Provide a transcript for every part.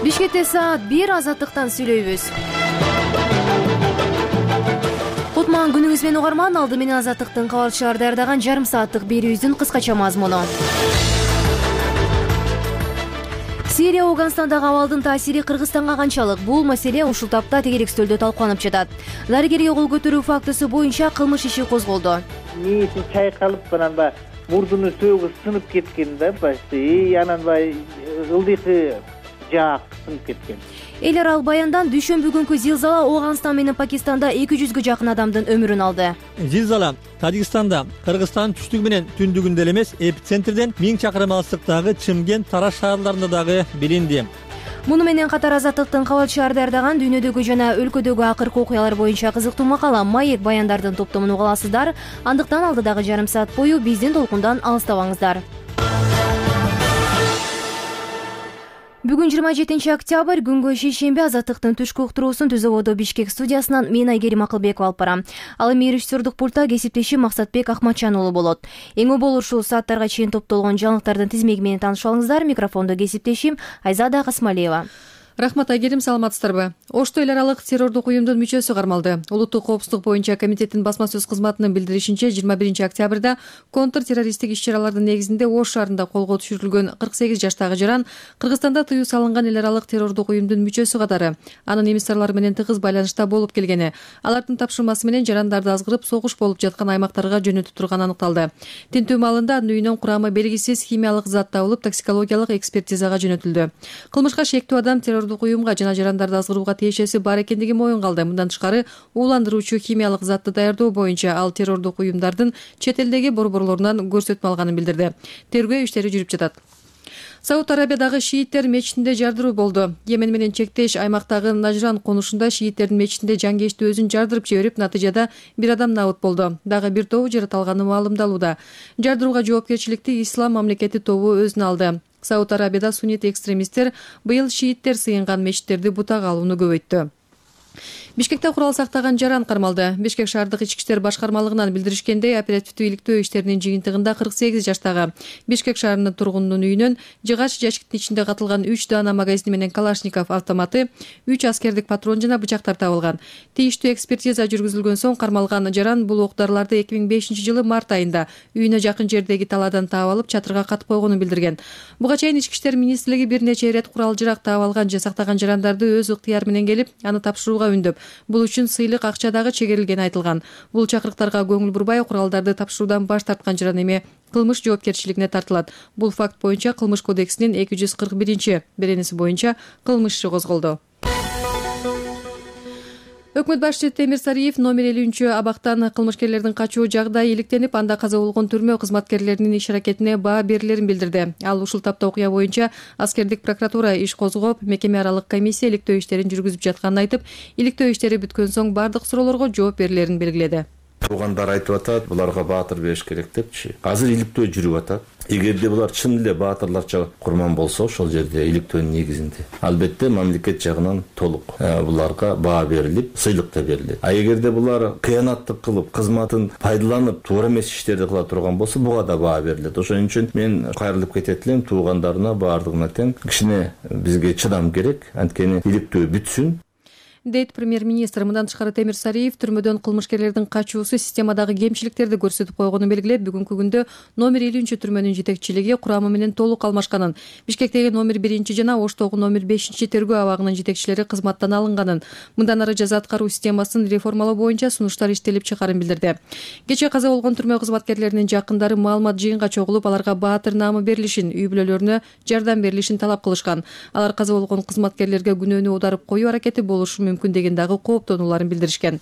Бишкекте саат 1 азаттыктан сүйлөйбүз. Кутман күнүңүз менен угарман, алды менен азаттыктын кабарчылары даярдаган жарым сааттык берүүбүздүн кыскача мазмуну. Сирия Афганстандагы абалдын таасири Кыргызстанга канчалык? Бул маселе ушул тапта тегерек стөлдө талкууланып жатат. Дарыгерге кол көтөрүү фактысы боюнча кылмыш иши козголду. Нээси чайкалып анан мурдуну сөөгү сынып кеткен да, почти анан ылдыйкы жаак сынып кеткен. Эл аралык баяндан дүйшөмбү күнкү зилзала Афганстан менен Пакистанда 200гө жакын адамдын өмүрүн алды. Зилзала Тажикстанда, Кыргызстан түштүгү менен түндүгүндө эле эмес, эпицентрден 1000 чакырым алыстыктагы Чымкент, Тараш шаарларында дагы билинди. Муну менен катар азаттыктын кабарчылары даярдаган дүйнөдөгү жана өлкөдөгү акыркы окуялар боюнча кызыктуу макала Маек баяндардын топтомун уга аласыздар. Андыктан алдыдагы жарым саат бою биздин толкундан алыстабаңыздар. Бүгүн 27 октябрь, күнгө шейшемби, азаттыктын түшкү уктуруусун Түз ободо Бишкек студиясынан мен Айгерим Акылбекова алып барам. Ал эми режиссердук пультта кесиптешим Максатбек Ахматжан уулу болот. Эң болор ушул сааттарга чейин топтолгон жаңылыктардын тизмеги менен таанышып алыңыздар. Микрофондо кесиптешим Айзада Касмалиева. Рахмат, Айгерим, саламатсыздарбы? Ошто эл аралык террордук уюмдун мүчөсү кармалды. Улуттук коопсуздук боюнча комитеттин басма сөз кызматынын билдиришинче 21 октябрда контртеррористтик иш-чаралардын негизинде Ош шаарында колго түшүрүлгөн 48 жаштагы жаран Кыргызстанда тыюу салынган эл аралык террордук уюмдун мүчөсү катары анын эмиссарлары менен тыгыз байланышта болуп келгени, алардын тапшырмасы менен жарандарды азгырып согуш болуп жаткан аймактарга жөнөтүп турганы аныкталды. Тинтүү маалында анын үйүнөн курамы белгисиз химиялык зат табылып, токсикологиялык экспертизага жөнөтүлдү. Кылмышка шектүү адам уюмга жана жарандарды азгырууга тиешеси бар экендиги моюнга алды. Мындан тышкары, ууландыруучу химиялык затты даярдоо боюнча ал террордук уюмдардын чет элдеги борборлорунан көрсөтмө алганын билдирди. Тергөө иштери жүрүп жатат. Сауд Арабиядагы шииттер мечитинде жардыруу болду. Йемен менен чектеш аймактагы Нажран конушунда шииттердин мечитинде жангечти өзүн жардырып жиберип, натыйжада бир адам набыт болду. Дагы бир тобу жаратылганы маалымдалууда. Жардырууга жоопкерчиликти Ислам мамлекети тобу өзүнө алды. Сауд Арабияда суннит экстремисттер быйыл шииттер сыйынган мечиттерди бутага алууну көбөйттү. Бишкекте курал сактаган жаран кармалды. Бишкек шаардык ички иштер башкармалыгынан билдиришкендей, оперативдүү иликтөө иштеринин жыйынтыгында 48 жаштагы Бишкек шаарынын тургунунун үйүнөн жыгач жашиктин ичинде катылган 3 даана магазини менен Калашников автоматы, 3 аскердик патрон жана бычактар табылган. Тийиштүү экспертиза жүргүзүлгөн соң кармалган жаран бул оқ-дарыларды 2005-жылы март айында үйүнө жакын жердеги талаадан таап алып чатырга катып койгонун билдирген. Буга чейин Ички иштер министрлиги бир нече ирет курал-жарак таап алган же сактаган жарандарды өз ыктыяры менен келип, аны тапшырууга үндөп, бул үчүн сыйлык акча дагы чегерилгени айтылган. Бул чакырыктарга көңүл бурбай куралдарды тапшыруудан баш тарткан жаран эми кылмыш жоопкерчилигине тартылат. Бул факт боюнча Кылмыш кодексинин 241-беренеси боюнча кылмыш иши козголду. Өкмөт башчысы Темир Сариев номер 50 абактан кылмышкерлердин качуу жагдайы иликтенип, анда каза болгон түрмө кызматкерлеринин иш-аракетине баа берилерин билдирди. Ал ушул тапта окуя боюнча аскердик прокуратура иш козгоп, мекеме аралык комиссия иликтөө иштерин жүргүзүп жатканын айтып, иликтөө иштери бүткөн соң бардык суроолорго жооп берилерин белгиледи. Туугандар айтып атат, буларга баатыр бериш керек депчи. Азыр иликтөө жүрүп атат. Эгерде булар чын эле баатырларча курман болсо, ошол жерде иликтөөнүн негизинде албетте мамлекет жагынан толук буларга баа берилип, сыйлык да берилет. А эгерде булар кыянаттык кылып, кызматын пайдаланып, туура эмес иштерди кыла турган болсо, буга да баа берилет. Ошон үчүн мен кайрылып кетет элем туугандарына, баардыгына тең кичине бизге чыдам керек, анткени иликтөө бүтсүн. Дейт премьер-министр. Мындан тышкары Темир Сариев түрмөдөн кылмышкерлердин качуусу системадагы кемчиликтерди көрсөтүп койгонун белгилеп, бүгүнкү күндө номер 50 түрмөнүн жетекчилиги курамы менен толук алмашканын, Бишкектеги номер 1 жана Оштогу номер 5 тергөө абагынын жетекчилери кызматтан алынганын, мындан ары жаза аткаруу системасын реформалоо боюнча сунуштар иштелип чыгарын билдирди. Кечээ каза болгон түрмө кызматкерлеринин жакындары маалымат жыйынга чогулуп, аларга баатыр наамы берилишин, үй бүлөлөрүнө жардам берилишин талап кылышкан. Алар каза болгон кызматкерлерге күнөөнү аударып коюу аракети болушу мүмкүн деген дагы кооптонууларын билдиришкен.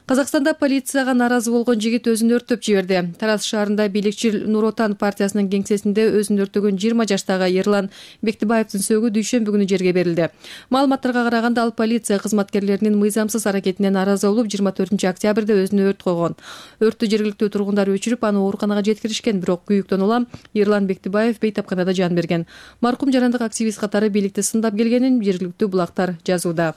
Казакстанда полицияга нааразы болгон жигит өзүн өрттөп жиберди. Тараз шаарында бийликчил Нур Отан партиясынын кеңсесинде өзүн өрттөгөн 20 жаштагы Ерлан Бектибаевдин сөөгү дүйшөмбү күнү жерге берилди. Маалыматтарга караганда, ал полиция кызматкерлеринин мыйзамсыз аракетине нааразы болуп, 24 октябрда өзүнө өрт койгон. Өрттү жергиликтүү тургундар өчүрүп, аны ооруканага жеткиришкен, бирок күйүктөн улам Ерлан Бектибаев бейтапканада жан берген. Маркум жарандык активист катары бийликти сындап келгенин жергиликтүү булактар жазууда.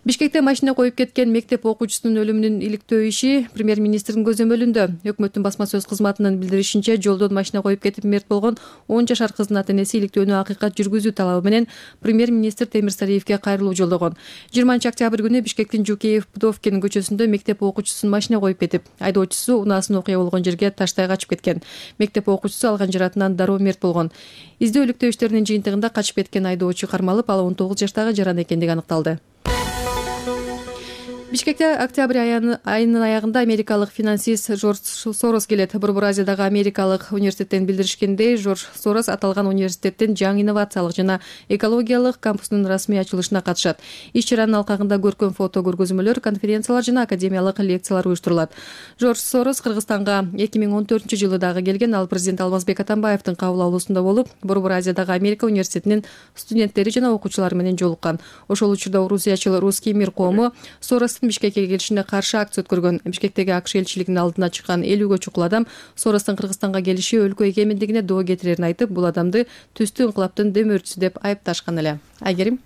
Бишкекте машина коюп кеткен мектеп окуучусунун өлүмүнүн иликтөө иши премьер-министрдин көзөмөлүндө. Өкмөттүн басма сөз кызматынын билдиришинче, жолдон машина коюп кетип мерт болгон 10 жашар кыздын ата-энеси иликтөөнү акыйкат жүргүзүү талабы менен премьер-министр Темирсариевге кайрылуу жолдогон. 20-октябрь күнү Бишкектин Жукеев-Пудовкин көчөсүндө мектеп окуучусун машина коюп кетип, айдоочусу унаасын окуя болгон жерге таштай качып кеткен. Мектеп окуучусу алган жаратынан дароо мерт болгон. Издөө-иликтөө иштеринин жыйынтыгында качып кеткен айдоочу кармалып, ал 19 жаштагы жаран экендиги аныкталды. Бишкекте октябрь айынын аягында америкалык финансист Жорж Сорос келет. Борбор Азиядагы америкалык университеттен билдиришкендей, Жорж Сорос аталган университеттин жаңы инновациялык жана экологиялык кампусунун расмий ачылышына катышат. Иш-чаранын алкагында көркөм фото көргөзмөлөр, конференциялар жана академиялык лекциялар уюштурулат. Жорж Сорос Кыргызстанга 2014-жылы дагы келген. Ал президент Алмазбек Атамбаевдин кабыл алуусунда болуп, Борбор Азиядагы Америка университетинин студенттери жана окуучулары менен жолуккан. Ошол учурда орусиячыл Русский мир коому Соростун Бишкекке келишине каршы акция өткөргөн. Бишкектеги АКШ элчилигинин алдына чыккан 50гө чукул адам Соростун Кыргызстанга келиши өлкө эгемендигине доо кетирерин айтып, бул адамды түстүү инкылаптын демөөрчүсү деп айыпташкан эле. Айгерим.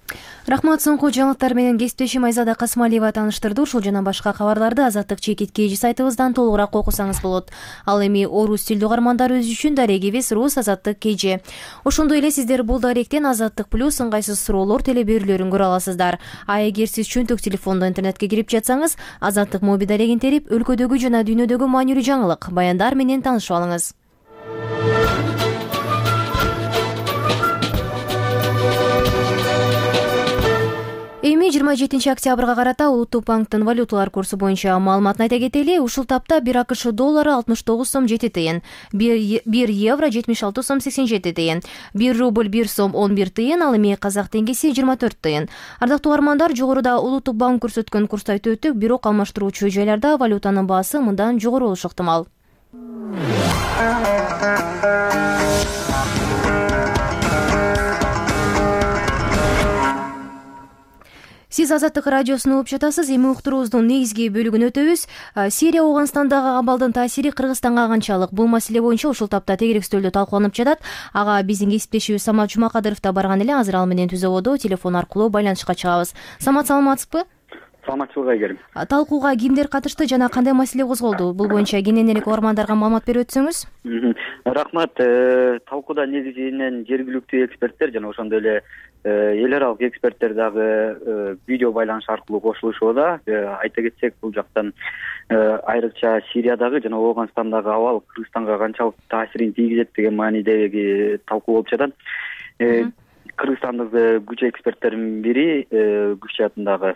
Рахмат, соңку жаңылыктар менен кесиптешим Айзада Касмалиева тааныштырды. Ушул жана башка кабарларды Азаттык чекит KG сайтыбыздан толугураак окусаңыз болот. Ал эми орус тилдүү угармандар өз үчүн дарегибиз Рус Азаттык KG. Ошондой эле сиздер бул даректен Азаттык плюс ыңгайсыз суроолор телеберүүлөрүн көрө аласыздар. А эгер сиз чөнтөк телефондо интернетке кирип жатсаңыз, Азаттык моби дарегин терип, өлкөдөгү жана дүйнөдөгү маанилүү жаңылык, баяндар менен таанышып алыңыз. Эми 27-октябрга карата Улуттук банктын валюталар курсу боюнча маалыматын айта кетели. Ушул тапта 1 АКШ доллары 69 сом 7 тыйын, 1 евро 76 сом 87 тыйын, 1 рубль 1 сом 11 тыйын, ал эми казак теңгеси 24 тыйын. Ардактуу угармандар, жогоруда Улуттук банк көрсөткөн курсту айтып өттүк, бирок алмаштыруучу жайларда валютанын баасы мындан жогору болушу ыктымал. Сиз Азаттык радиосун угуп жатасыз. Эми уктуруубуздун негизги бөлүгүн өтөбүз. Сирия Ооганстандагы абалдын таасири Кыргызстанга канчалык? Бул маселе боюнча ушул тапта тегерек стөлдө талкууланып жатат. Ага биздин кесиптешибиз Самат Жумакадыров да барган эле. Азыр ал менен түз абодо телефон аркылуу байланышка чыгабыз. Самат, саламатсызбы? Саламатчылык, Айгерим. Талкууга кимдер катышты жана кандай маселе козголду? Бул боюнча кененирээк угармандарга маалымат берип өтсөңүз. Рахмат. Талкууда негизинен жергиликтүү эксперттер жана ошондой эле эл аралык эксперттер дагы видео байланыш аркылуу кошулушууда. Айта кетсек, бул жактан айрыкча Сириядагы жана Ооганстандагы абал Кыргызстанга канчалык таасирин тийгизет деген маанидеги талкуу болуп жатат. Кыргызстандык күч эксперттердин бири Күч атындагы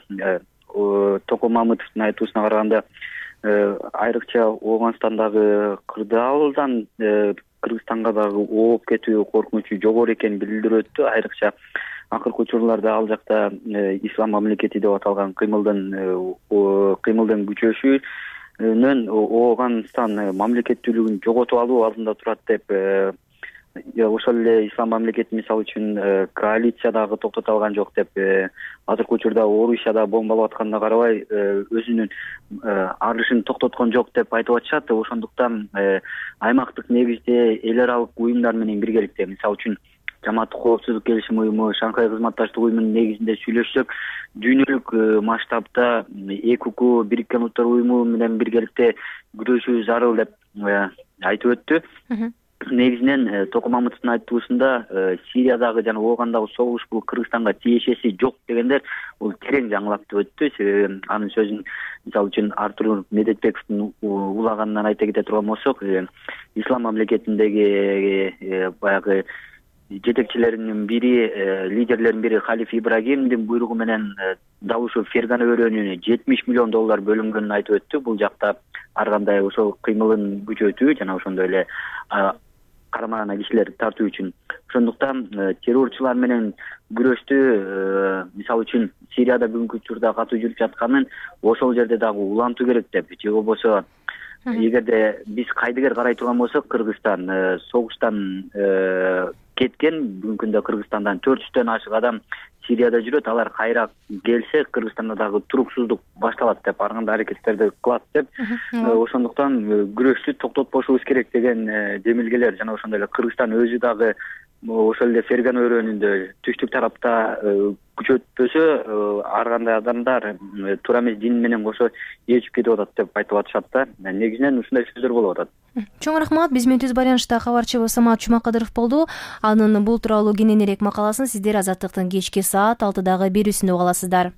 Токо Мамытовдун айтуусуна караганда, айрыкча Ооганстандагы кырдаалдан Кыргызстанга дагы ооп кетүү коркунучу жогору экенин билдирип өттү. Айрыкча акыркы учурларда ал жакта ислам мамлекети деп аталган кыймылдын күчөшүүнүн Ооганстан мамлекеттүүлүгүн жоготуп алуу алдында турат деп, ошол эле ислам мамлекети мисалы үчүн коалиция дагы токтото алган жок деп, азыркы учурда Орусияда бомбалап атканына карабай өзүнүн арышын токтоткон жок деп айтып атышат. Ошондуктан аймактык негизде эл аралык уюмдар менен биргеликте, мисалы үчүн Жамааттык коопсуздук келишим уюму, Шанхай кызматташтык уюмунун негизинде сүйлөшсөк, дүйнөлүк масштабта ЭКУ, Бириккен Улуттар уюму менен биргеликте күрөшүү зарыл деп айтып өттү. Негизинен Токо Мамытовдун айтуусунда Сириядагы жана Оогандагы согуш бул Кыргызстанга тиешеси жок дегендер бул терең жаңылап өттү. Себеби анын сөзүн мисалы үчүн Артур Медетбековдун улаганынан айта кете турган болсок, ислам мамлекетиндеги баягы жетекчилеринин бири, лидерлердин бири Халиф Ибрагимдин буйругу менен дал ушул Фергана өрөөнүнө 70 миллион доллар бөлүнгөнүн айтып өттү. Бул жакта ар кандай ошол кыймылын күчөтүү жана ошондой эле карамагына кишилерди тартуу үчүн. Ошондуктан террорчулар менен күрөштү, мисалы үчүн Сирияда бүгүнкү учурда катуу жүрүп жатканын ошол жерде дагы улантуу керек деп, же болбосо эгерде биз кайдыгер карай турган болсок, Кыргызстан согуштан кеткен, бүгүнкү күндө Кыргызстандан 400дөн ашык адам Сирияда жүрөт. Алар кайра келсе, Кыргызстанда дагы туруксуздук башталат деп, ар кандай аракеттерди кылат деп. Ошондуктан күрөштү токтотпошубуз керек деген демилгелер жана ошондой эле Кыргызстан өзү дагы ошол эле Ферган өрөөнүндө түштүк тарапта күчөтпөсө ар кандай адамдар туура эмес дин менен кошо ээрчип кетип атат деп айтып атышат да. Негизинен ушундай сөздөр болуп атат. Чоң рахмат. Биз менен түз байланышта кабарчыбыз Самат Чумакадыров болду. Анын бул тууралуу кененирээк макаласын сиздер Азаттыктын кечки саат 6-дагы берүүсүндө уга аласыздар.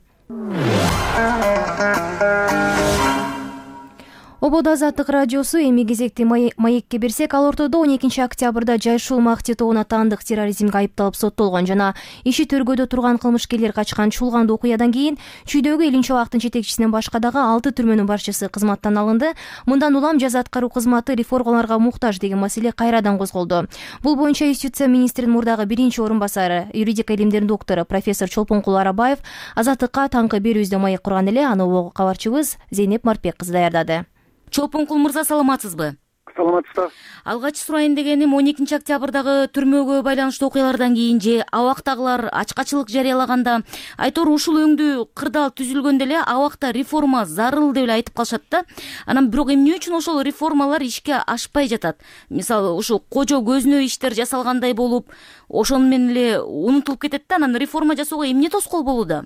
Ободо Азаттык радиосу эми кезекти маекке берсек, ал ортодо 12 октябрда жайшул мак титоонун атаандык терроризмге айыпталып соттолгон жана иши төргөдө турган кылмышкерлер качкан чуулгандуу окуядан кийин чүйдөгү Элин Чолактын жетекчисинен башка дагы 6 түрмөнүн башчысы кызматтан алынды. Мындан улам жаза аткаруу кызматы реформаларга муктаж деген маселе кайрадан козголду. Бул боюнча Юстиция министринин мурдагы биринчи орун басары, юридика илимдеринин доктору профессор Чолпонкул Арабаев Азаттыкка таңкы берүүбүздө маек курган эле. Аны кабарчыбыз Зейнеп Марпек кызы даярдады. Чолпонкул мырза, саламатсызбы? Саламатсызбы. Алгач сурайын дегеним, 12 октябрдагы түрмөгө байланыштуу окуялардан кийин же абактагылар ачкачылык жарыялаганда айтор ушул өңдүү кырдаал түзүлгөндө эле абакта реформа зарыл деп эле айтып калышат да. Анан бирок эмне үчүн ошол реформалар ишке ашпай жатат? Мисалы, ушул кожо көзүнө иштер жасалгандай болуп, ошону менен эле унутулуп кетет да. Анан реформа жасоого эмне тоскоол болууда?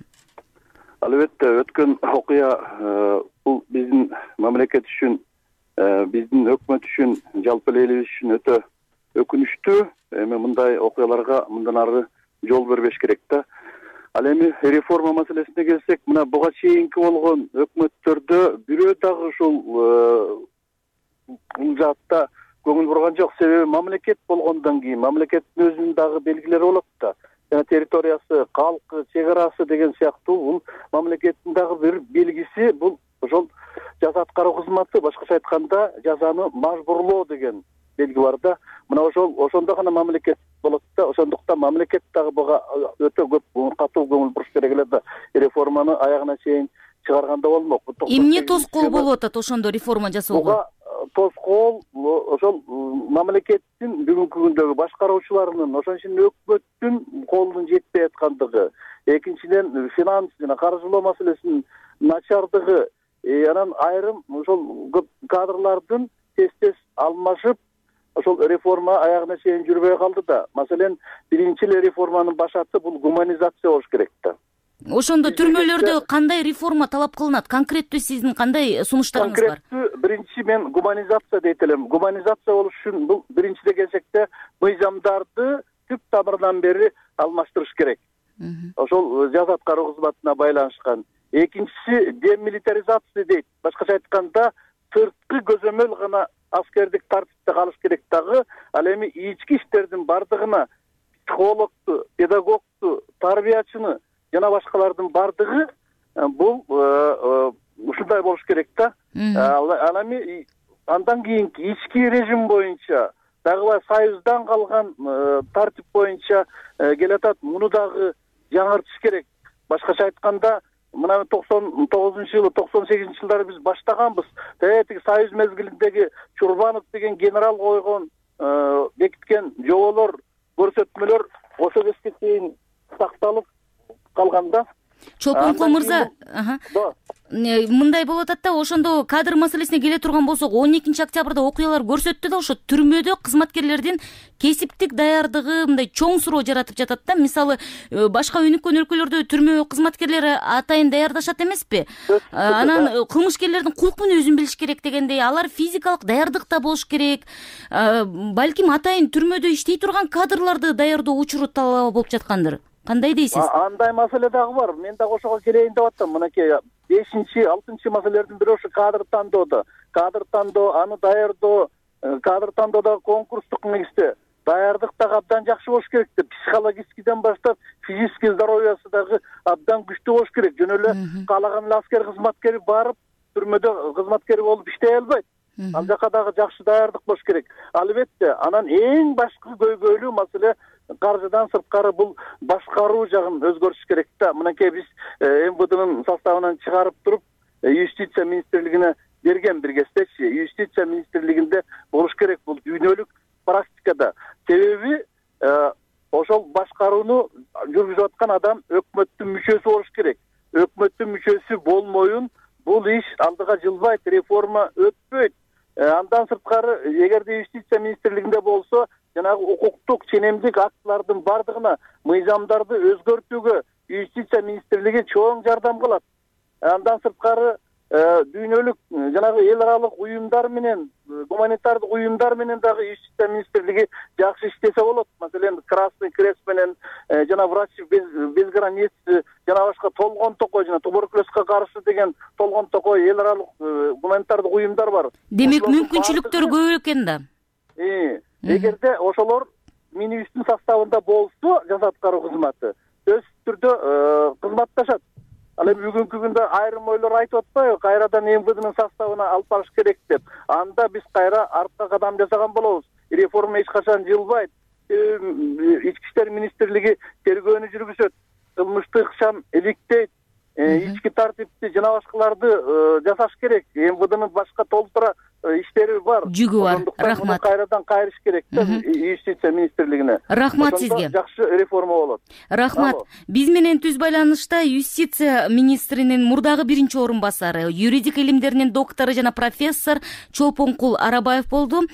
Албетте, өткөн окуя бул биздин мамлекет үчүн, биздин өкмөт үчүн, жалпы элибиз үчүн өтө өкүнүчтүү. Эми мындай окуяларга мындан ары жол бербеш керек да. Ал эми реформа маселесине келсек, мына буга чейинки болгон өкмөттөрдө бирөө дагы ушул бул жаатта көңүл бурган жок. Себеби мамлекет болгондон кийин мамлекеттин өзүнүн дагы белгилери болот да. Территориясы, калкы, чек арасы деген сыяктуу бул мамлекеттин дагы бир белгиси. Бул ошол жаза аткаруу кызматы, башкача айтканда жазаны мажбурлоо деген белги бар да. Мына ошондо гана мамлекет болот да. Ошондуктан мамлекет дагы буга өтө көп катуу көңүл буруш керек эле да. Реформаны аягына чейин чыгарганда болмок. Эмне тоскоол болуп атат ошондо реформа жасоого? Тоскоол ошол мамлекеттин бүгүнкү күндөгү башкаруучуларынын, ошон үчүн өкмөттүн колунун жетпей аткандыгы, экинчиден финанс жана каржылоо маселесинин начардыгы, анан айрым ошол көп кадрлардын тез алмашып, ошол реформа аягына чейин жүрбөй калды да. Маселен, биринчи эле реформанын башаты бул гуманизация болуш керек да. Ошондо түрмөлөрдө кандай реформа талап кылынат? Конкреттүү сиздин кандай сунуштарыңыз бар? Конкреттүү биринчи мен гуманизация дейт элем. Гуманизация болуш үчүн бул биринчиде келсекте мыйзамдарды түп тамырынан бери алмаштырыш керек. Ошол жаза аткаруу кызматына байланышкан. Экинчиси демилитаризация дейт. Башкача айтканда, сырткы көзөмөл гана аскердик тартипте калыш керек дагы. Ал эми ички иштердин бардыгына психологду, педагогду, тарбиячыны жана башкалардын бардыгы бул ушундай болуш керек да. Ал эми андан кийинки ички режим боюнча дагы союздан калган тартип боюнча келатат. Муну дагы жаңыртыш керек. Башкача айтканда, мына 99-жылы, 98-жылдары биз баштаганбыз. Тиги союз мезгилиндеги Чурбанов деген генерал койгон, бекиткен жоболор, көрсөтмөлөр ошо кезге чейин сакталып калганда. Чолпонкул мырза, мындай болуп атат да, ошондо кадр маселесине келе турган болсок, 12 октябрда окуялар көрсөттү да, ошо түрмөдө кызматкерлердин кесиптик даярдыгы мындай чоң суроо жаратып жатат да. Мисалы, башка өнүккөн өлкөлөрдө түрмө кызматкерлери атайын даярдашат эмеспи? Анан кылмышкерлердин кулк мүнөзүн билиш керек дегендей, алар физикалык даярдыкта болуш керек. Балким атайын түрмөдө иштей турган кадрларды даярдоо учуру талап болуп жаткандыр. Кандай дейсиз? Андай маселе дагы бар. Мен дагы ошого келейин деп аттым. Мынакей 5-6 маселелердин бири ошо кадр тандоодо. Кадр тандоо, аны даярдоо, кадр тандоодогу конкурстук негизде даярдык дагы абдан жакшы болуш керек деп, психологическийден баштап физический здоровьясы дагы абдан күчтүү болуш керек. Жөн эле каалаган эле аскер кызматкери барып түрмөдө кызматкери болуп иштей албайт. Ал жака дагы жакшы даярдык болуш керек. Албетте, анан эң башкы көйгөйлүү маселе каржыдан сырткары бул башкаруу жагын өзгөртүш керек да. Мынакей биз МВДнын составынан чыгарып туруп, Юстиция министрлигине берген бир кездечи. Юстиция министрлигинде болуш керек бул дүйнөлүк практикада. Себеби ошол башкарууну жүргүзүп аткан адам өкмөттүн мүчөсү болуш керек. Өкмөттүн мүчөсү болмоюн бул иш алдыга жылбайт, реформа өтпөйт. Андан сырткары, эгерде Юстиция министрлигинде болсо, жанагы укуктук ченемдик актылардын бардыгына мыйзамдарды өзгөртүүгө юстиция министрлиги чоң жардам кылат. Андан сырткары дүйнөлүк жанагы эл аралык уюмдар менен, гуманитардык уюмдар менен дагы юстиция министрлиги жакшы иштесе болот. Маселен, Красный Крест менен жана Врачи без границ жана башка толгон токой жана туберкулезге каршы деген толгон токой эл аралык гуманитардык уюмдар бар. Демек мүмкүнчүлүктөр көп экен да. Эгерде ошолор минибустун составында болсо, жаза аткаруу кызматы өз түрдө кызматташат. Ал эми бүгүнкү күндө айрым ойлор айтып атпайбы, кайрадан МВДнын составына алып барыш керек деп. Анда биз кайра артка кадам жасаган болобуз. Реформа эч качан жылбайт. Ички иштер министрлиги тергөөнү жүргүзөт. Кылмыштык ыкчам иликтейт. Ички тартипти жана башкаларды жасаш керек. МВДнын башка толтура иштери бар. Жүгү бар. Рахмат. Кайрадан кайрыш керек да юстиция министрлигине. Рахмат сизге. Жакшы реформа болот. Рахмат. Биз менен түз байланышта юстиция министринин мурдагы биринчи орун басары, юридик илимдеринин доктору жана профессор Чолпонкул Арабаев болду.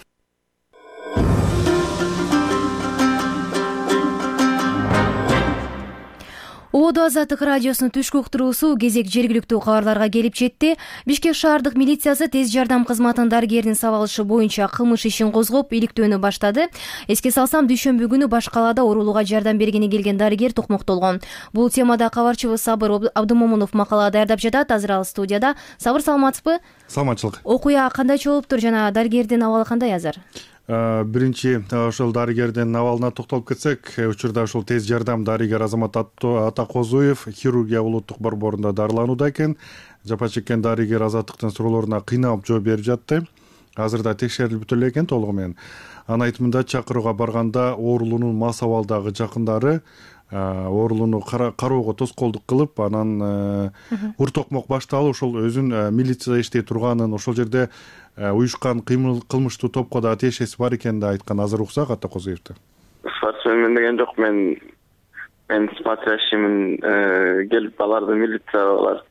Ободо Азаттык радиосунун түшкү уктуруусу кезек жергиликтүү кабарларга келип жетти. Бишкек шаардык милициясы тез жардам кызматынын дарыгеринин сабалышы боюнча кылмыш ишин козгоп, иликтөөнү баштады. Эске салсам, дүйшөмбү күнү баш калаада оорулууга жардам бергени келген дарыгер токмоктолгон. Бул темада кабарчыбыз Сабыр Абдымомунов макала даярдап жатат. Азыр ал студияда. Сабыр, саламатсызбы? Саламатчылык. Окуя кандайча болуптур жана дарыгердин абалы кандай азыр? Биринчи ошол дарыгердин абалына токтолуп кетсек, учурда ушул тез жардам дарыгер Азамат Атакозуев хирургия улуттук борборунда дарыланууда экен. Жапа чеккен дарыгер Азаттыктын суроолоруна кыйналып жооп берип жатты. Азырда текшерилип бүтө эле экен толугу менен. Анын айтымында чакырууга барганда оорулуунун мас абалдагы жакындары оорулууну кароого тоскоолдук кылып, анан ур токмок башталып, ошол өзүн милицияда иштей турганын, ошол жерде уюшкан кылмыштуу топко да тиешеси бар экенин да айткан. Азыр уксак Атакозуевди. Мен деген жок, мен смотрящиймин, келип аларды милициялар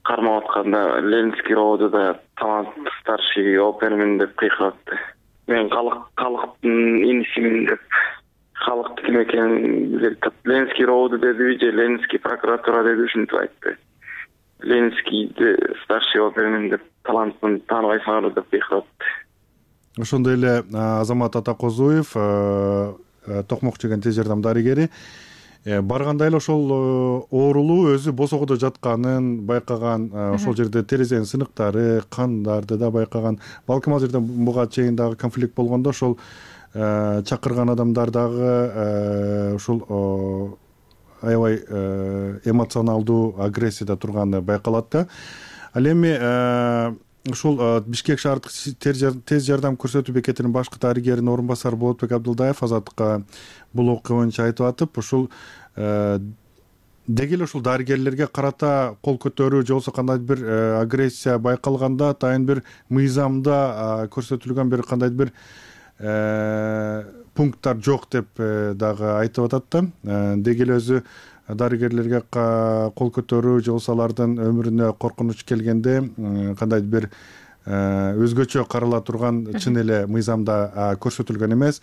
кармап атканда Ленинский ровдода талант старший опермин деп кыйкыратты. Мен калктын инисимин деп, калкты ким экенин билет. Ленинский ровду деди же Ленинский прокуратура деди, ушинтип айтты. Ленинский старший опермин деп, талантын тааныбайсыңар деп кыйкыратты. Ошондой эле Азамат Атакозуев, токмок чеген тез жардам дарыгери, барганда эле ошол оорулуу өзү босогодо жатканын байкаган, ошол жерде терезенин сыныктары, кандарды да байкаган. Балким ал жерде буга чейин дагы конфликт болгондо ошол чакырган адамдар дагы ушул аябай эмоционалдуу агрессияда турганы байкалат да. Ал эми ушул Бишкек шаардык тез жардам көрсөтүү бекетинин башкы дарыгеринин орун басары Болотбек Абдылдаев Азаттыкка бул окуя боюнча айтып атып, ушул деги эле ушул дарыгерлерге карата кол көтөрүү же болбосо кандайдыр бир агрессия байкалганда атайын бир мыйзамда көрсөтүлгөн бир кандайдыр бир пункттар жок деп дагы айтып атат да. Деги эле өзү дарыгерлерге кол көтөрүү же болбосо алардын өмүрүнө коркунуч келгенде кандайдыр бир өзгөчө карала турган чын эле мыйзамда көрсөтүлгөн эмес.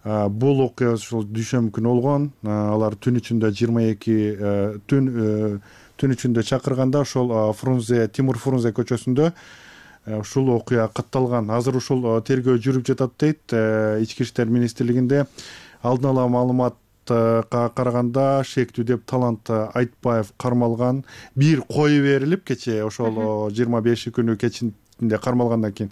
Бул окуя ушул дүйшөмбү күнү болгон. Алар түн ичинде 22 түн ичинде чакырганда ошол Тимур Фрунзе көчөсүндө ушул окуя катталган. Азыр ушул тергөө жүрүп жатат дейт Ички иштер министрлигинде. Алдын ала маалыматка караганда шектүү деп Талант Айтбаев кармалган. Бир кою берилип кече ошол 25 күнү кечинде кармалгандан кийин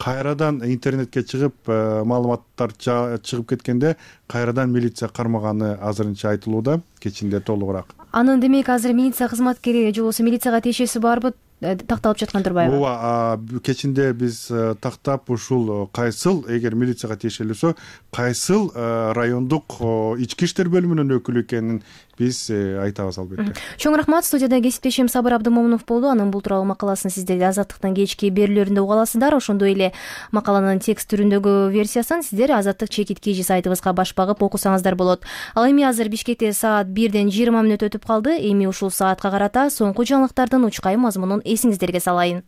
кайрадан интернетке чыгып маалыматтар чыгып кеткенде кайрадан милиция кармаганы азырынча айтылууда, кечинде толугураак. Анын демек азыр милиция кызматкери же болбосо милицияга тиешеси барбы? Такталып жаткан турбайбы? Ооба, кечинде биз тактап ушул кайсыл, эгер милицияга тиешелүүсө, кайсыл райондук ички иштер бөлүмүнүн өкүлү экенин биз айтабыз албетте. Чоң рахмат. Студияда кесиптешим Сабыр Абдымомунов болду. Анын бул тууралуу макаласын сиздер Азаттыктын кечки берүүлөрүндө уга аласыздар. Ошондой эле макаланын текст түрүндөгү версиясын сиздер Азаттык чекит.kg сайтыбызга баш багып окусаңыздар болот. Ал эми азыр Бишкекте саат 1:20 өтүп калды. Эми ушул саатка карата соңку жаңылыктардын учкай мазмунун эсиңиздерге салайын.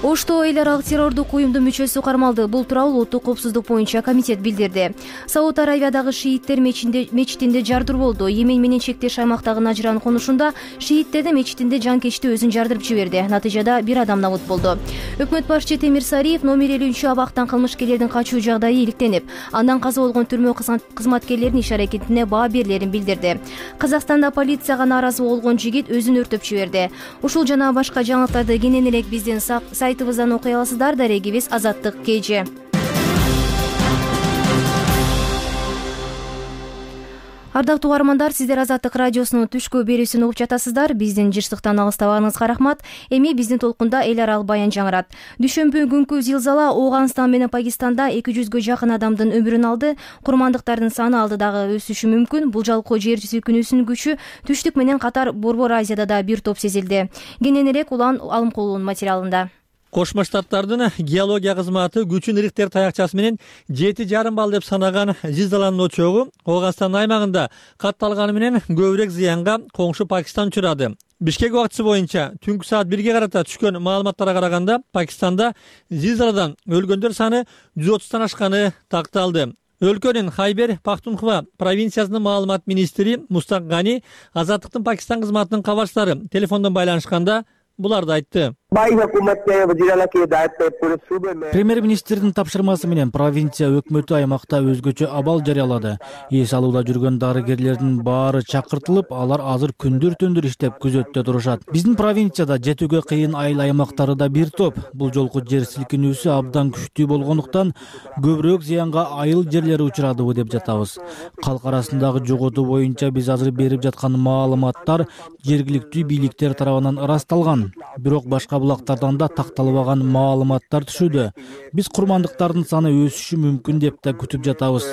Ошто эл аралык террордук уюмдун мүчөсү кармалды. Бул тууралуу Улуттук коопсуздук боюнча комитет билдирди. Сауд Аравиядагы шииттер мечитинде жардыр болду. Йемен менен чектеш аймактагы Нажран конушунда шииттердин мечитинде жанкечти өзүн жардырып жиберди. Натыйжада бир адам набут болду. Өкмөт башчы Темир Сариев номер 50-абактан кылмышкерлердин качуу жагдайы иликтенип, андан каза болгон түрмө кызматкерлеринин иш-аракетине баа берилерин билдирди. Казакстанда полицияга нааразы болгон жигит өзүн өртөп жиберди. Ушул жана башка жаңылыктарды кенен элек биздин сайтыбыздан окуй аласыздар. Дарегибиз Азаттык KG. Ардактуу угармандар, сиздер Азаттык радиосунун түшкү берүүсүн угуп жатасыздар. Биздин жыштыктан алыстабаганыңызга рахмат. Эми биздин толкунда эл аралык баян жаңырат. Дүшөмбү күнкү зилзала Ооганстан менен Пакистанда 200гө жакын адамдын өмүрүн алды. Курмандыктардын саны алдыдагы өсүшү мүмкүн. Бул жалкоо жер силкинүүсүнүн күчү түштүк менен катар Борбор Азияда да бир топ сезилди. Кенен элек Улан Алымкулунун материалында. Кошмо Штаттардын геология кызматы күчүн Рихтер таякчасы менен 7,5 балл деп санаган зилзаланын очогу Ооганстан аймагында катталганы менен көбүрөөк зыянга коңшу Пакистан учурады. Бишкек убактысы боюнча түнкү саат 1ге карата түшкөн маалыматтарга караганда Пакистанда зилзаладан өлгөндөр саны 130тан ашканы такталды. Өлкөнүн Хайбер Пахтунхва провинциясынын маалымат министри Мустак Гани Азаттыктын Пакистан кызматынын кабарчылары телефондон байланышканда буларды айтты. Премьер-министрдин тапшырмасы менен провинция өкмөтү аймакта өзгөчө абал жарыялады. Эс алууда жүргөн дарыгерлердин баары чакыртылып, алар азыр күндүр-түндүр иштеп күзөттө турушат. Биздин провинцияда жетүүгө кыйын айыл аймактары да бир топ. Бул жолку жер силкинүүсү абдан күчтүү болгондуктан көбүрөөк зыянга айыл жерлери учурадыбы деп жатабыз. Калк арасындагы жоготуу боюнча биз азыр берип жаткан маалыматтар жергиликтүү бийликтер тарабынан ырасталган. Бирок башка булактардан да такталбаган маалыматтар түшүүдө. Биз курмандыктардын саны өсүшү мүмкүн деп да күтүп жатабыз.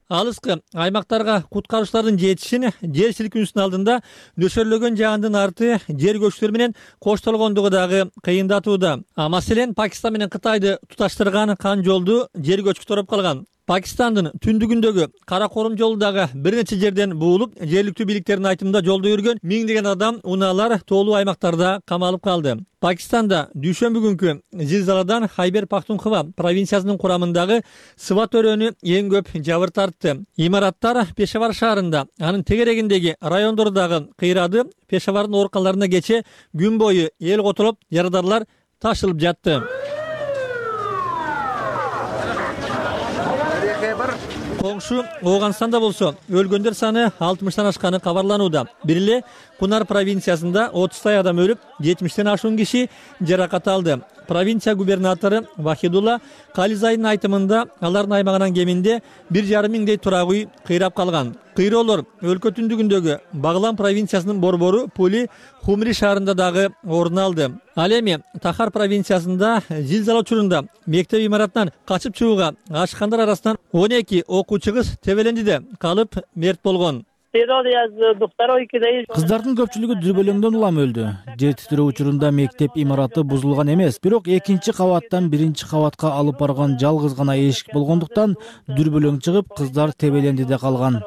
Алыскы аймактарга куткаруучулардын жетишин жер силкинүүсүнүн алдында нөшөрлөгөн жаандын арты жер көчкүлөр менен коштолгондугу дагы кыйындатууда. Маселен, Пакистан менен Кытайды туташтырган кан жолду жер көчкү тороп калган. Пакистандын түндүгүндөгү Кара Корум жолу дагы бир нече жерден буулуп, жергиликтүү бийликтердин айтымында жолдо жүргөн миңдеген адам унаалар тоолуу аймактарда камалып калды. Пакистанда дүйшөмбү күнкү зилзаладан Хайбер Пахтунхва провинциясынын курамындагы Сват өрөөнү эң көп жабыр тартты. Имараттар Пешавар шаарында, анын тегерегиндеги райондору дагы кыйрады. Пешавардын ооруканаларына кече күн бою эл котулуп, жарадарлар ташылып жатты. Коңшу Ооганстанда болсо өлгөндөр саны 60тан ашканы кабарланууда. Бир эле Кунар провинциясында 30 адам өлүп, 70тен ашуун киши жаракат алды. Провинция губернатору Вахидулла Кализайдын айтымында алардын аймагынан кеминде 1,5 миңдей турак үй кыйрап калган. Кыйроолор өлкө түндүгүндөгү Баглан провинциясынын борбору Пули Хумри шаарында дагы орун алды. Ал эми Тахар провинциясында зилзала учурунда мектеп имаратынан качып чыгууга ашкандар арасынан 12 окуучу кыз Тебелендиде калып мерт болгон. Кыздардын көпчүлүгү дүрбөлөңдөн улам өлдү. Жер титирөө учурунда мектеп имараты бузулган эмес, бирок экинчи кабаттан биринчи кабатка алып барган жалгыз гана эшик болгондуктан дүрбөлөң чыгып, кыздар Тебелендиде калган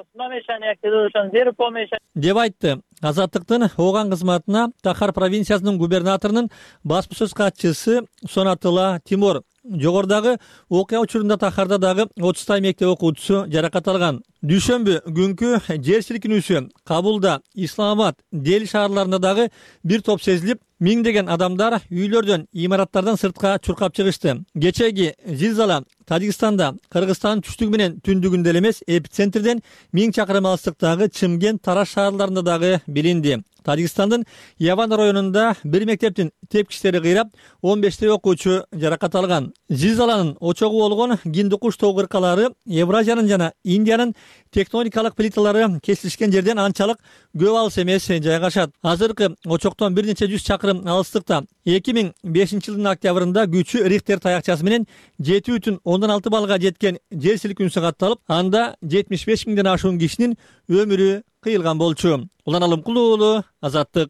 деп айтты. Азаттыктын Ооган кызматына Тахар провинциясынын губернаторунун басма сөз катчысы Сонатыла Тимур. Жогордагы окуя учурунда Тахарда дагы 30 мектеп окуучусу жаракат алган. Дүйшөмбү күнкү жер силкинүүсү Кабулда, Исламабад, Дели шаарларында дагы бир топ сезилип, миңдеген адамдар үйлөрдөн, имараттардан сыртка чуркап чыгышты. Кечеги зилзала Тажикстанда, Кыргызстандын түштүгү менен түндүгүндө эмес, эпицентрден 1000 чакырым алыстыктагы Чымкент, Тараш шаарларында дагы билинди. Тажикстандын Яван районунда бир мектептин тепкичтери кыйрап, 15 окуучу жаракат алган. Зилзаланын очогу болгон Гиндукуш тоо кыркалары Евразиянын жана Индиянын тектоникалык плиталары кесилишкен жерден анчалык көп алыс эмес жайгашат. Азыркы очоктон бир нече 100 чакырым алыстыкта 2005 жылдын октябрында күчү Рихтер таякчасы менен 7,6 баллга жеткен жер силкинүүсү катталып, анда 75 миңден ашуун кишинин өмүрү кыйылган болчу. Улан Алымкулуу уулу, Азаттык.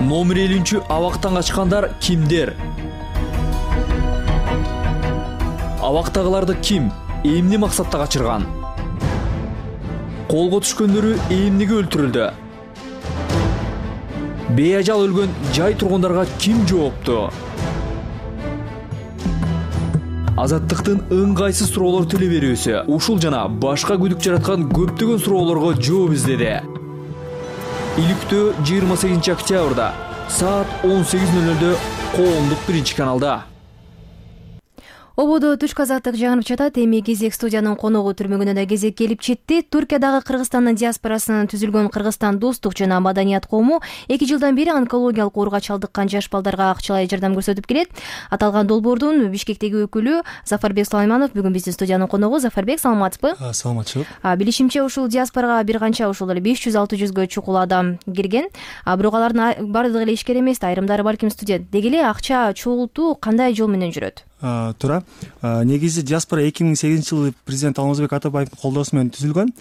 Номер 50-абактан качкандар кимдер? Абактагыларды ким, эмне максатта качырган? Колго түшкөндөрү эмнеге өлтүрүлдү? Бейажал өлгөн жай тургундарга ким жоопту? Азаттыктын ыңгайсыз суроолор теле берүүсү ушул жана башка күдүк жараткан көптөгөн суроолорго жооп издеди. Иликтөө 28 октябрда саат 18:00 коомдук биринчи каналда. Ободо түшкү азаттык жаңырып жатат. Эми кезек студиянын коногу түрмөгүнө да кезек келип жетти. Туркиядагы Кыргызстандын диаспорасынан түзүлгөн Кыргызстан достук жана маданият коому 2 жылдан бери онкологиялык ооруга чалдыккан жаш балдарга акчалай жардам көрсөтүп келет. Аталган долбоордун Бишкектеги өкүлү Зафарбек Сулайманов бүгүн биздин студиянын коногу. Зафарбек, саламатсызбы? Саламатчылык. Билишимче, ушул диаспорага бир канча ушул эле 500-600гө чукул адам кирген. Бирок алардын баардыгы эле ишкер эмес, айрымдары балким студент. Деги эле акча чогултуу кандай жол менен жүрөт? Туура. Негизи диаспора 2008-жылы президент Алмазбек Атабаевдин колдоосу менен түзүлгөн.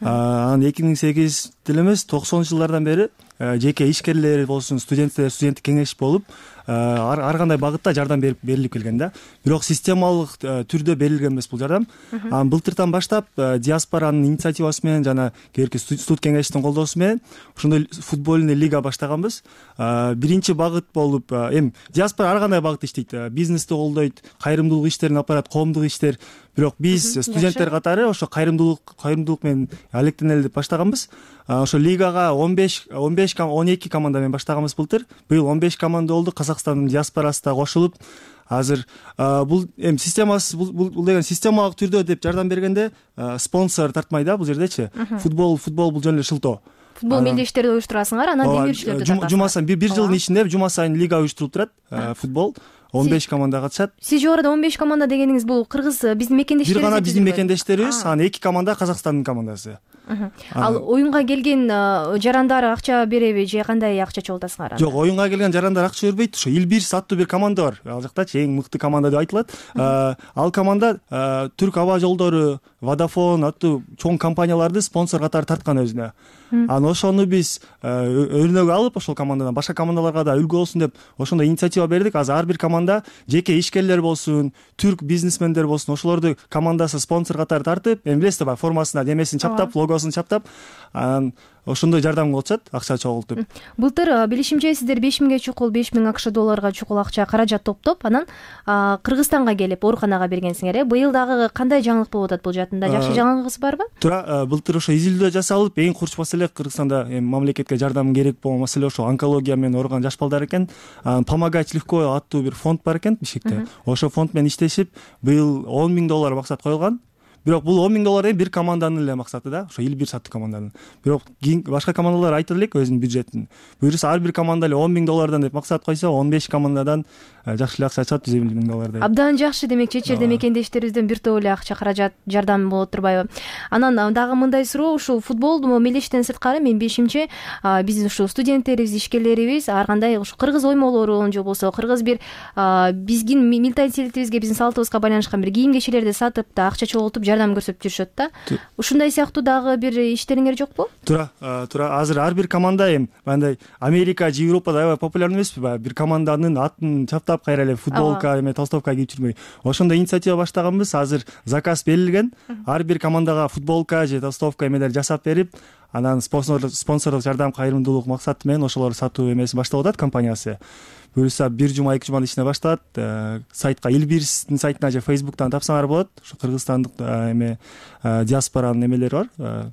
Анан 2008 деле эмес, 90-жылдардан бери жеке ишкерлер болсун, студенттик кеңеш болуп, ар кандай багытта жардам берилип келген да. Бирок системалык түрдө берилген эмес бул жардам. Былтыртан баштап диаспоранын инициативасы менен жана кээки студ кеңештин колдоосу менен ошондой футбольный лига баштаганбыз. Биринчи багыт болуп, эми диаспора ар кандай багытта иштейт. Бизнести колдойт, кайрымдуулук иштерин алып барат, коомдук иштер. Бирок биз студенттер катары ошо кайрымдуулук менен алектенели деп баштаганбыз. Ошо лигага 12 команда менен баштаганбыз былтыр. Быйыл 15 команда болду. Казакстандын диаспорасы да кошулуп, азыр бул эми системасы бул деген системалык түрдө деп жардам бергенде спонсор тартмай да бул жердечи. Футбол бул жөн эле шылтоо. Футбол мелдештерди уюштурасыңар, анан демирчилерди тартасыңар. Жума сайын бир жылдын ичинде жума сайын лига уюштурулуп турат. Футбол 15 команда катышат. Сиз жогоруда 15 команда дегениңиз бул кыргыз биздин мекендештерибиз? Бир гана биздин мекендештерибиз, анан 2 команда Казакстандын командасы. Ал оюнга келген жарандар акча береби же кандай акча чогултасыңар? Жок, оюнга келген жарандар акча бербейт. Ошо Илбирс аттуу бир команда бар. Ал жактачы эң мыкты команда деп айтылат. Ал команда Түрк аба жолдору, Vodafone аттуу чоң компанияларды спонсор катары тарткан өзүнө. Анан ошону биз өрнөк алып, ошол командадан башка командаларга да үлгү болсун деп ошондой инициатива бердик. Азыр ар бир команда жеке ишкерлер болсун, түрк бизнесмендер болсун, ошолорду командасы спонсор катары тартып, эми билесиз да, формасына демесин чаптап, логосун чаптап, анан ошондой жардам кылып атышат, акча чогултуп. Былтыр билишимче сиздер 5000ге чукул, 5000 акш долларга чукул акча каражат топтоп, анан Кыргызстанга келип ооруканага бергенсиңер. Быйыл дагы кандай жаңылык болуп атат бул жаатында? Жакшы жаңылыгыңыз барбы? Туура, былтыр ошо изилдөө жасалып, эң курч маселе Кыргызстанда мамлекетке жардам керек болгон маселе ошо онкология менен ооруган жаш балдар экен. Помогать легко аттуу бир фонд бар экен Бишкекте. Ошо фонд менен иштешип, быйыл $10,000 максат коюлган. Бирок бул $10,000 бир команданын эле максаты да, ошо Илбир саттуу команданын. Бирок башка командалар айтыр элек өзүнүн бюджетин. Буюрса ар бир команда эле $10,000 деп максат койсо, 15 командадан жакшы эле акча чыгат, $150,000 деп. Абдан жакшы, демек чечерде мекендештерибизден бир топ эле акча каражат жардам болот турбайбы? Анан дагы мындай суроо, ушул футбол мелдештен сырткары мен бешимче биздин ушул студенттерибиз, ишкерлерибиз ар кандай ушу кыргыз оймолорун же болбосо кыргыз бир биздин менталитетибизге, биздин салтыбызга байланышкан бир кийим кечелерди сатып да акча чогултуп жардам көрсөтүп жүрүшөт да. Ушундай сыяктуу дагы бир иштериңер жокпу? Туура. Азыр ар бир команда эми мындай Америка же Европада аябай популярный эмеспи? Бир команданын атын чаптап кайра эле футболка эме толстовка кийип жүрмөй. Ошондой инициатива баштаганбыз. Азыр заказ берилген. Ар бир командага футболка же толстовка эмелер жасап берип, анан спонсорлук жардам, кайрымдуулук максаты менен ошолорду сатуу эмеси баштап атат компаниясы. Буюрса 1 жума 2 жуманын ичинде башталат. Сайтка Илбирстин сайтына же Facebook'тан тапсаңар болот. Ошо кыргызстандык эме диаспоранын эмелери бар.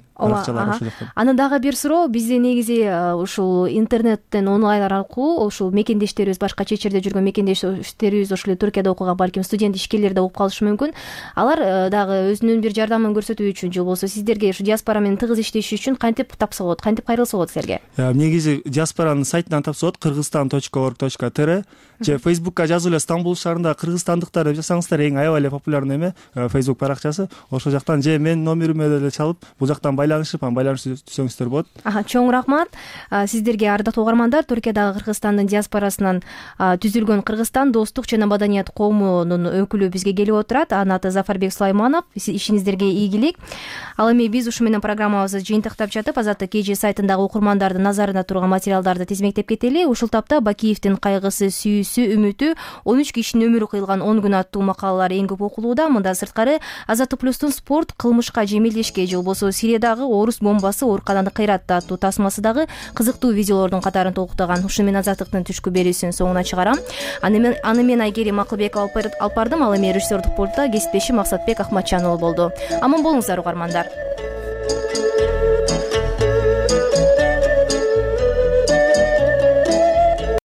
Анан дагы бир суроо, бизде негизи ушул интернеттен онлайн аркылуу ушул мекендештерибиз, башка чечерде жүргөн мекендештерибиз ошол эле Түркияда окуган балким студент ишкерлер да угуп калышы мүмкүн. Алар дагы өзүнүн бир жардамын көрсөтүү үчүн же болбосо сиздерге ушу диаспора менен тыгыз иштеш үчүн кантип тапса болот, кантип кайрылса болот силерге? Негизи диаспоранын сайтынан тапса болот, kyrgyzstan.org.tr же Facebook'ка жазып эле Стамбул шаарында кыргызстандыктар деп жазсаңыздар, эң аябай эле популярный эме Facebook баракчасы. Ошол жактан же менин номериме деле чалып, бул жактан байланышып түзсөңүздөр болот. Чоң рахмат сиздерге, ардактуу угармандар. Түркиядагы Кыргызстандын диаспорасынан түзүлгөн Кыргызстан достук жана маданият коомунун өкүлү бизге келип отурат. Анын аты Зафарбек Сулайманов. Ишиңиздерге ийгилик. Ал эми биз ушу менен программабызды жыйынтыктап жатып, Азаттык KG сайтындагы окурмандардын назарында турган материалдарды тизмектеп кетели. Ушул тапта Бакиевдин кайгысы, сүйүүсү, үмүтү, 13 кишинин өмүрү кыйылган 10 күн аттуу макалалар эң көп окулууда. Мындан сырткары Азаттык плюстун спорт, кылмышка же мелдешке же болбосо Сириядагы дагы орус бомбасы оорукананы кыйратты аттуу тасмасы дагы кызыктуу видеолордун катарын толуктаган. Ушу менен Азаттыктын түшкү берүүсүнүн соңуна чыгарам. Аны мен Айгерим Акылбекова алып бардым. Ал эми режиссердук пультта кесиптешим Максатбек Ахматжан болду. Аман болуңуздар угармандар.